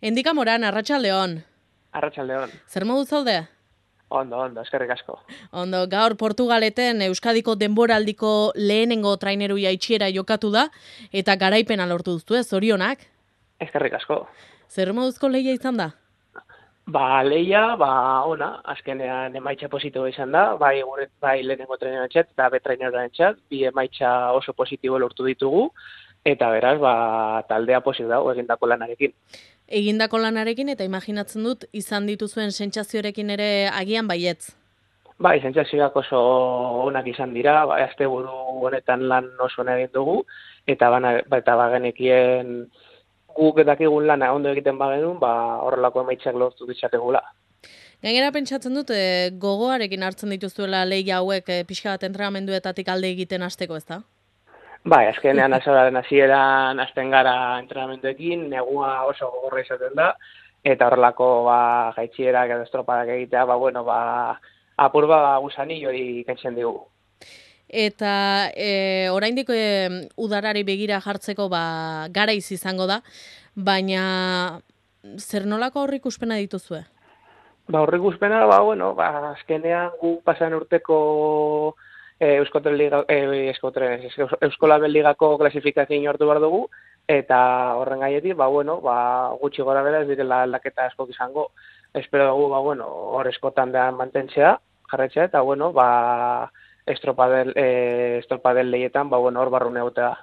Endika Moran, Arratsaldeon. Arratsaldeon. Zer modu zaude? Ondo, eskerrik asko. Ondo, gaur Portugaleten Euskadiko denboraldiko lehenengo traineru jaitshiera jokatu da, eta garaipena lortu duzue, zorionak. Eskerrik asko. Zer moduzko lehia izan da? Lehia, ona, azkenean emaitza positibo izan da, bai lehenengo trainerantzat eta betrainerantzat, bi emaitza oso positibo lortu ditugu, eta beraz, taldea posik dago egindako lanarekin. Egindako lanarekin eta imaginatzen dut izan dituzuen sentsazioarekin ere agian baietz. Bai, sentsazioak oso onak izan dira, asteburu honetan lan oso egin dugu, eta bagenekien guk dakigun lana ondo egiten bagenun, horrelako emaitzak lortu ditzakegula. Gainera pentsatzen dut gogoarekin hartzen dituzuela lehia hauek pixka bat entrenamenduetatik alde egiten hasteko, ezta? Bai, azkenean azoraren hasieran hasten gara entrenamenduekin, negua oso gogorra izaten da, eta horrelako jaitsierak edo estropadak egitea, apur gusanillo hori kentzen digu. Eta oraindik udarari begira jartzeko garaiz izango da, baina zer nolako aurreikuspena dituzue? Aurreikuspena, azkenean gu pasan urteko Euskolabel Ligako klasifikazio hartu behar dugu, eta horren gaietik, gutxi gora bera ez direla aldaketa askok izango. Espero dugu, hor eskotan behan mantentzea, jarretzea, eta estropadel lehietan, hor barrune egotea.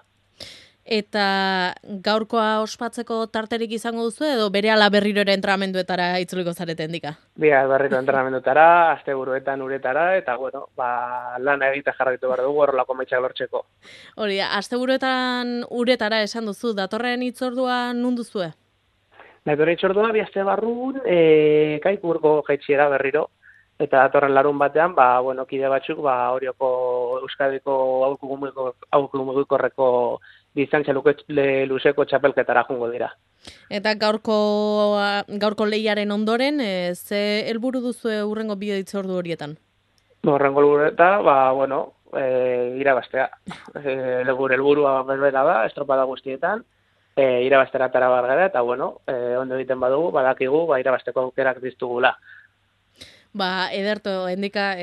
Eta gaurkoa ospatzeko tarterik izango duzu edo berehala berriro ere entrenamenduetara itzuliko zarete endika? Berriro entrenamenduetara, asteburuetan uretara, eta lana egite jarraitu behar dugu horrelako emaitzak lortzeko. Hori, asteburuetan uretara esan duzu, datorren hitzordua non duzue? Datorren hitzordua bi aste barrun, Kaikurko jaitsiera berriro. Eta datorren larun batean, kide batzuk, Orioko Euskadiko aholku mugikorreko distantzia luzeko txapelketara jungo dira. Eta gaurko lehiaren ondoren, ze helburu duzu hurrengo bideo hitzordu horietan? Hurrengo helburua, irabaztea. Gure helburua berbera da, estropada guztietan, irabaztera atera behar gara, eta ondo egiten badugu, badakigu, irabazteko aukerak diztugula. Ederto, endika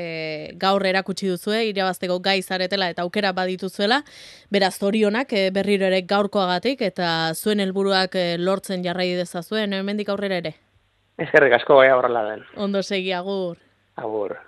gaur erakutsi duzue, irabazteko gai zaretela eta aukera badituzuela, beraz zorionak berriro ere gaurkoagatik eta zuen helburuak lortzen jarrai dezazuen, hemendik aurrera ere. Eskerrik asko, horrela den. Ondo segi, agur. Agur.